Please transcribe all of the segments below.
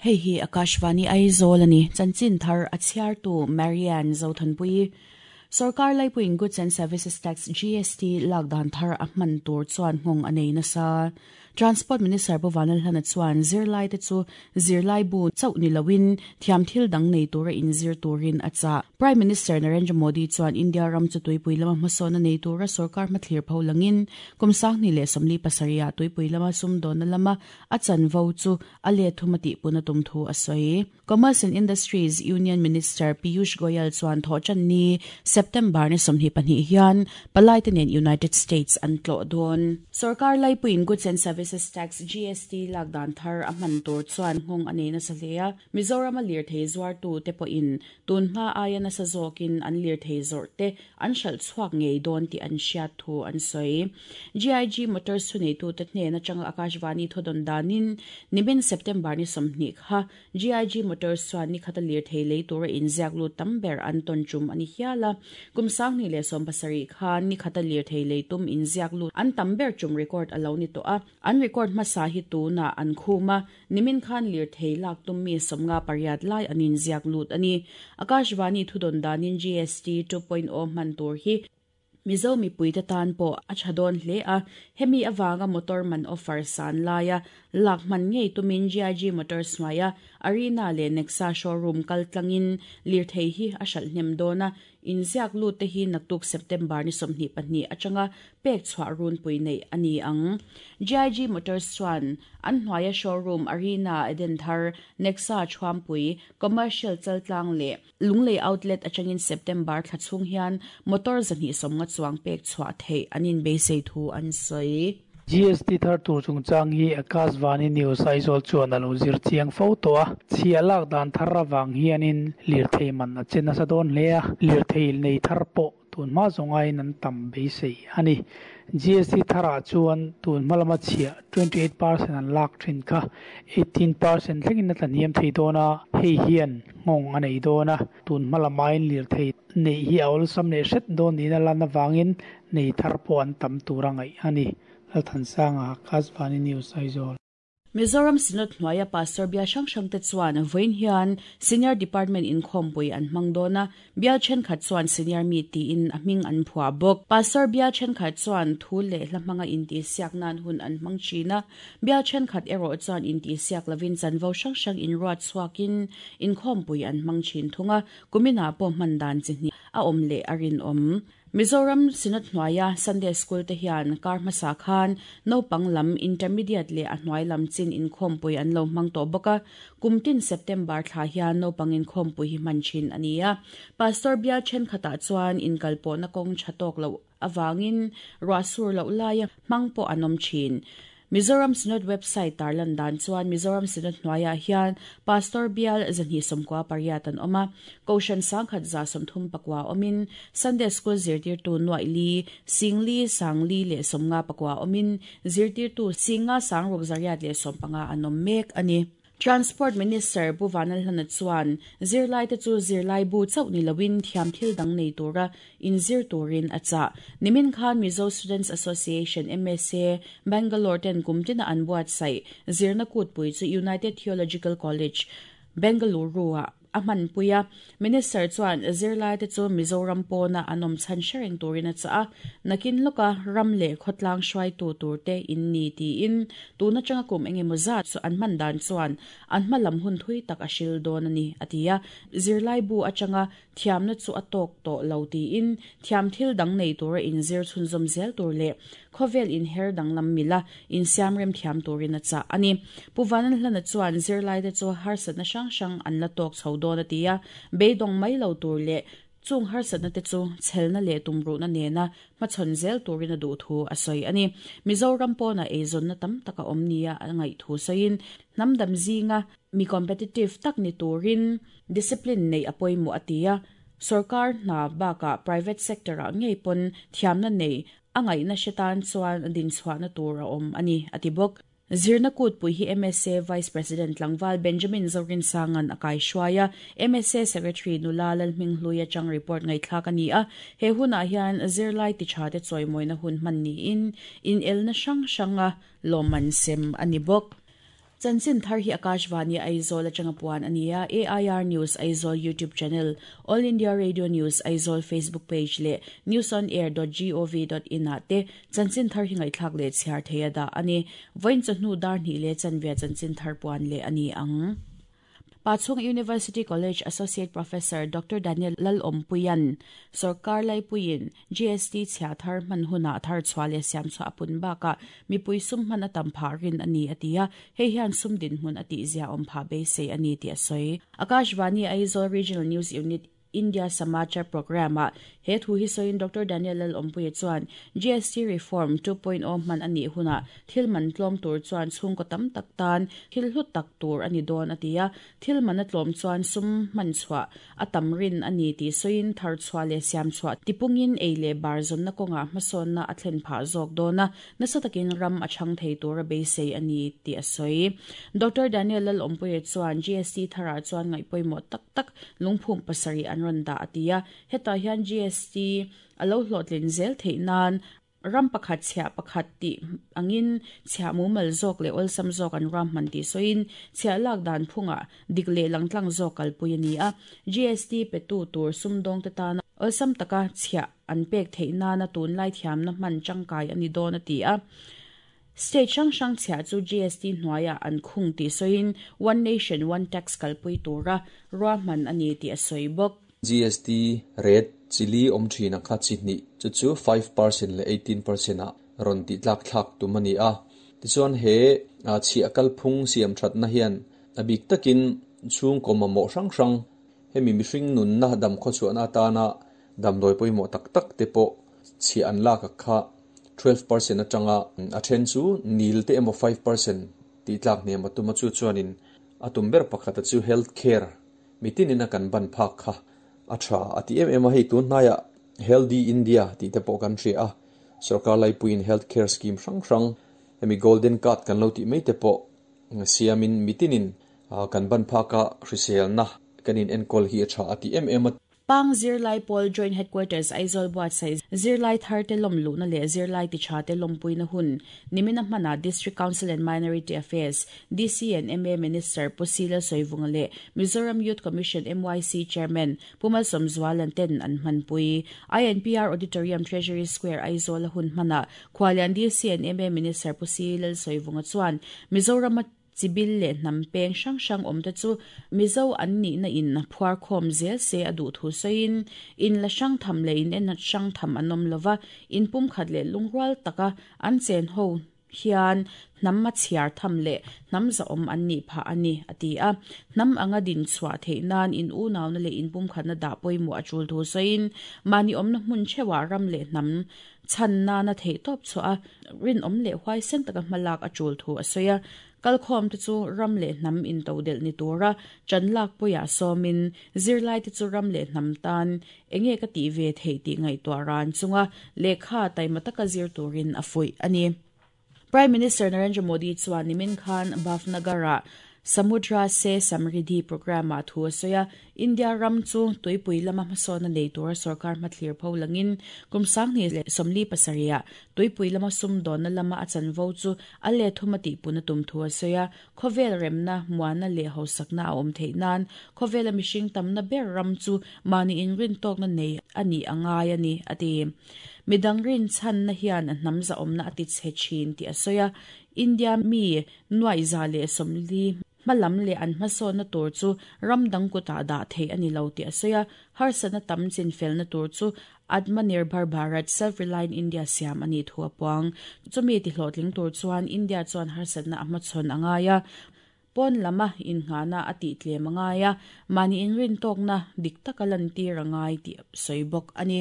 Hei hi Akashvani Aizawl a ni. Chanchin thar a chhiartu Marianne Zothanpuii. Sorkar laipuiin Goods and Services Tax, GST, lak dan thar a hman tur chuan nghawng a nei nasa. Transport Minister Pu Vanlalhlana chuan zirlaite chu zirlaibu chauh ni loin thiam thil dang nei tura inzir turin a chah. Prime Minister Narendra Modi chuan India ram chu tuipui lama hmasawnna nei tura sorkar hmathlir pho langin kum 2047 ah tuipui lama sumdawnna lama a chanvo chu a let thum a tihpun a tum thu a sawi. Commerce and Industries Union Minister Piyush Goyal chuan Thawhtanni, September ni 22 hian palaite nen United States an tlawh dawn. Sorkar laipuiin Goods and Services Tax, GST, lak dan thar a hman tur chuan nghawng a nei nasa hle a, Mizorama lirthei zuartute pawhin tun hma aia nasa zawkin an lirthei zawrh te an hralh chhuak ngei dawn tih an hriat thu an sawi. GIG Motors thuneitute hnen atanga Akashvani thawdawn danin nimin September ni 20 kha GIG Motors chuan ni khata lirthei lei tura inziak lut tam ber an tawn tum a ni hial a. Kum 2017 khan ni khata lirthei lei tum inziak lut an tam ber tum record a lo ni tawh a. An record hmasa hi tunah an khum a, nimin khan lirthei lak tum mi 58 lai an inziak lut a ni. Akashvani thudawn danin GST 2.0 hman tur hi Mizo mipuite tan pawh a tha dawn hle a, hemi avanga motor man offer san laia lak hman ngei tumin GIG Motors hnuaia Arena leh Nexa showroom kal tlangin lirthei hi a hralh hnem dawn a, inziak lut te hi naktuk September ni 22 atanga pek chhuah runpui neih a ni ang. GIG Motors chuan an hnuaia showroom Arena Edenthar, Nexa Thuampui, Commercial Chaltlang leh Lunglei Outlet atangin September thla chhung hian motor 250 chuang pek chhuah theih an inbeisei thu an sawi. GST thar tur chungchang hi Akashvani News Aizawl chuan a lo zir chiang fo tawh a, chhiah lak dan thar avang hianin lirthei man a che nasa dawn hle a, lirthei nei thar pawh tun hma zawng aiin an tam beisei a ni. GST tharah chuan tun hma lama chhiah 28% an lak thin kha 18% thlengin a tlahniam thei dawn a, hei hian nghawng a nei dawn a, tun hma lamaiin lirthei neih hi a awlsam leh hret dawn niin a lan avangin nei thar pawh an tam tur a ngaih a ni. Lalthansanga, Akashvani News, Aizawl. Mizoram Synod hnuaia Pastor bial hrang hrangte chuan vawiin hian Senior Department inkhawmpui an hmang dawn a, bial thenkhat chuan Senior Meet tiin a hming an phuah bawk. Pastor bial thenkhat chuan thu leh hla hmanga intihsiak nan hun an hmang thin a, bial thenkhat erawh chuan intihsiak lovin chanvo hrang hrang inruat chhuakin inkhawmpui an hmang thin thung a, kuminah pawh hman dan chi hnih a awm leh a rinawm. Mizoram Synod hnuaia Sunday School te hian kar hmasa khan naupang lam Intermediate leh a hnuai lam chin inkhawmpui an lo hmang tawh bawk a, kum tin September thla hian naupang inkhawmpui hi hman thin a ni a. Pastor bial thenkhatah chuan inkalpawhna kawng tha tawk loh avangin ruah sur loh laia hmang pawh an awm thin. Mizoram Synod website tarlan dan chuan Mizoram Synod hnuaiah hian Pastor bial 298 an awm a, Kohhran 1139 awmin, Sunday School zirtirtu nuaih li, 4 054 awmin, zirtirtu 5 615 an awm mek a ni. Transport Minister Pu Vanlalhlana chuan zirlaite chu zirlaibu chauh ni loin thiam thil dang nei tura inzir turin a chah. Nimin khan Mizo Students Association, MSA, Bangalore ten kum tina an buatsaih zirna kutpui chu United Theological College, Bengaluru-ah a hmanpui a. Minister chuan zirlaite chu Mizoram pawna an awm chhan hre reng turin a chah a, nakin lawka ram leh khawtlang hruaitu turte in ni tiin tun atanga kum engemaw zat chu an hman dan chuan an hma lam hun thui tak a hril dawn a ni a ti a. Zirlaibu atanga thiamna chu a tawk tawh lo tiin thiam thil dang nei tura inzir chhunzawm zel tur leh khawvel inher danglam mila insiam rem thiam turin a chah a ni. Pu Vanlalhlana chuan zirlaite chu harsatna hrang hrang an la tawk chho dawn a ti a, beidawng mai lo tur leh chung harsatna te chu chhelna leh tumruhna nena hmachhawn zel turin a duh thu a sawi a ni. Mizoram pawna eizawnna tam tak a awm nia a ngaih thu sawiin hnam dam zinga mi competitive tak ni turin discipline neih a pawimawh a ti a, sorkar hna bakah private sector ah ngei pawn thiamna nei a ngaihna hre tan chuan din chhuahna tur a awm a ni a ti bawk. Zirna kutpui hi MSA Vice President Tlangval Benjamin Zorinsangan a kai hruai a, MSA Secretary Nula Lalhminghlui atang report ngaihthlak a ni a, he hunah hian zirlai ti tha te chawimawina hun hman niin inelna hrang hranga lawmman sem a ni bawk. Chanchin thar hi Akashvani Aizawl atanga puan a ni a, AIR News Aizawl YouTube channel, All India Radio News Aizawl Facebook page leh newsonair.gov.in ah te chanchin thar hi ngaihthlak leh chhiar thei a dah a ni. Vawiin chawhnu dar hnih leh chanve chanchin thar puan leh a ni ang. Pachhung University College Associate Professor Doctor Daniel Lalawmpuia'n Sorkar Laipuiin GST chhia thar hman hunah thar chhuah leh siam chhuah a pun bakah mipui sum hman a tam phah rin a ni a ti a, hei hian sum dinhmun a tihzia awm phah beisei a ni tih a sawi. Akashvani Aizawl Regional News Unit India Samachar Programme-ah he thu hi sawiin Doctor Daniel Lalawmpuia chuan GST Reform 2.0 hman a nih hunah thil man tlawm tur chuan chhungkaw tam tak tan thil hlu tak tur a ni dawn a ti a, thil man a tlawm chuan sum hman chhuah a tam rin a ni tih sawiin thar chhuah leh siam chhuah tipungin ei leh bar zawnna kawngah hmasawnna a thlen phah zawk dawn a, nasa takin ram a chhang thei tura beisei a ni tih a sawi. Doctor Daniel Lalawmpuia chuan GST tharah chuan ngaihpawimawh tak tak lungphum pasarih an rawn dah a ti a, hetah hian GST a lo hlawhtlin zel theih nan ram pakhat chhiah pakhat tih angin chhiah mumal zawk leh awlsam zawk an ruahman tih sawiin chhiah lak dan phungah dik leh langtlang zawk kalpui a ni a, GST petu tur sumdawngte tana awlsam taka chhiah an pek theih nana tunlai thiamna hman tangkai a ni dawn a ti a. State hrang hrang chhiah chu GST hnuaiah an khung tih sawiin One Nation One Tax kalpui tura ruahman a ni tih a sawi bawk. GST rate chili awm thin a kha chi hnih chu chu 5% leh 18% ah rawn tih tlak thlak tum a ni a. Tichuan he chhiah kalphung siam thatna hian a bik takin chhungkaw mamawh hrang hrang hemi mihring nunna dam khawchhuahna atana damdawi pawimawh tak tak te pawh chhiah an lak a kha 12% atanga a then chu nil te emaw 5% tih tlak hnem a tum a chu chuanin a tum ber pakhat a chu health care mitinin a kan ban phak kha a tha a ti em em a hei tun hnaiah Healthy India tih te pawh kan hria a sarkar laipuiin health care scheme hrang hrang hemi golden card kan lo tih mai te pawh siamin mitinin kan ban phaka hriselna kanin enkawl hi a tha a ti em em a. Pang Zirlai Pawl Joint Headquarters Aizawl buatsaih zirlai tharte lawm luhna leh zirlai tichate lawmpuina hun nimina hmanah District Council and Minority Affairs, DC and MA Minister Pu Sila Sawivunga leh Mizoram Youth Commission, MYC, Chairman Pu Malsawm Zualan ten an hmanpui. INPR Auditorium Treasury Square Aizawl a hun hmanah Khualian DC and MA Minister Pu Sila Sawivunga chuan Mizoram a Chibil leh hnam peng hrang hrang awmte chu Mizo an nihna in phuar khawm zel se a duh thu sawiin, in la hrang tham leh in en hrang tham an awm lova, in pumkhat leh lungrual taka an chen ho hian hnam a chhiar tham leh hnam zahawm an nih phah a ni, a ti a. Hnam anga din chhuah theih nan in unauna leh in pumkhatna dah pawimawh a tul thu sawiin, mahni awmna hmun theuhah ram leh hnam Chhan nana theih tawp chhuah a, rinawm leh huaisen taka hmalak a tul thu a sawi a. Kalkhawmte chu ram leh hnam intodelh ni tura chan lak puiah sawmin, zirlaite chu ram leh hnam tan enge ka tih ve theih tih ngaihtuah ran chunga lehkha taima taka zir turin a fuih a ni. Prime Minister Narendra Modi chuan nimin khan Bhavnagar-ah Samudra Se Samriddhi Programme-ah thu a sawi a, India ram chu tuipui lama hmasawnna nei tura sorkar hmathlir pho langin kum 2047-ah tuipui lama sumdawnna lama a chanvo chu a let thum a tihpun a tum thu a sawi a, khawvel remna, muanna leh hausakna a awm theih nan khawvela mihring tamna ber ram chu mahni inrintawkna nei a nih a ngai a ni, a ti. Midang rinchhanna hian a hnam zahawmna a ti chhe thin tih a sawi a, India mi 140 hmalam leh an hmasawnna tur chu ram dang kutah dah theih a ni lo tih a sawi a, harsatna tam chinfelna tur chu Atmanirbhar Bharat, Self-Reliant India, siam a nih thu a puang. Chumi tihlawhtling tur chuan India chuan harsatna a hmachhawn a ngai a, pawn lama innghahna a tihtlem a ngai a, mahni inrintawkna dik taka lantir a ngai tih a sawi bawk a ni.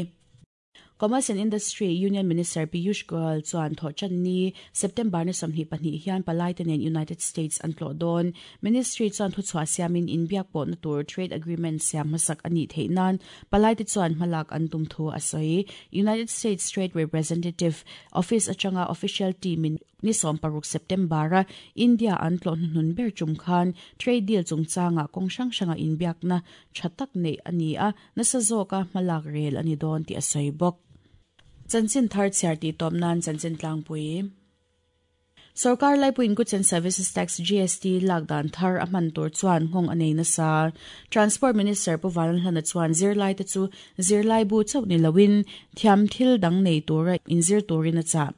Commerce and Industry Union Minister Piyush Goyal chuan thawhṭanni, September ni 22 hian palaite nen United States an tlawh dawn. Ministry chuan thuchhuah siamin inbiak pawhna tur trade agreement siam hmasak a nih theih nan palaite chuan hmalak an tum thu a sawi. United States Trade Representative Office atanga official team in Ni 16 September-a India an tlawh hnuhnun ber tum khan trade deal chungchangah kawng hrang hranga inbiakna tha tak neih a ni a, nasa zawka hmalak rel a ni dawn tih a sawi bawk. Chanchin thar chhiar tih tawp nan chanchin tlangpui. Sorkar laipuiin Goods and Services Tax, GST, lak dan thar a hman tur chuan nghawng a nei nasa. Transport Minister Pu Vanlalhlana chuan zirlaite chu zirlaibu chauh ni loin thiam thil dang nei tura inzir turin a chah.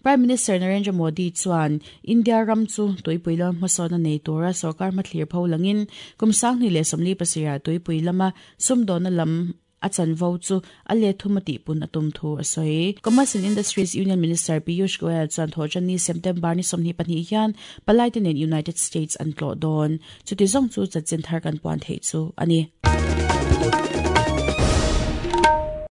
Prime Minister Narendra Modi chuan India ram chu tuipui lama hmasawn a nei tura sorkar hmathlir pho langin kum 2047 ah tuipui lama sumdawnna lam a chanvo chu a let thum a tihpun a tum thu a sawi. Commerce and Industries Union Minister Piyush Goyal chuan Thawhṭanni September ni 22 hian palaite nen United States an tlawh dawn. Chuti zawng chu chanchin thar kan puan theih chu a ni.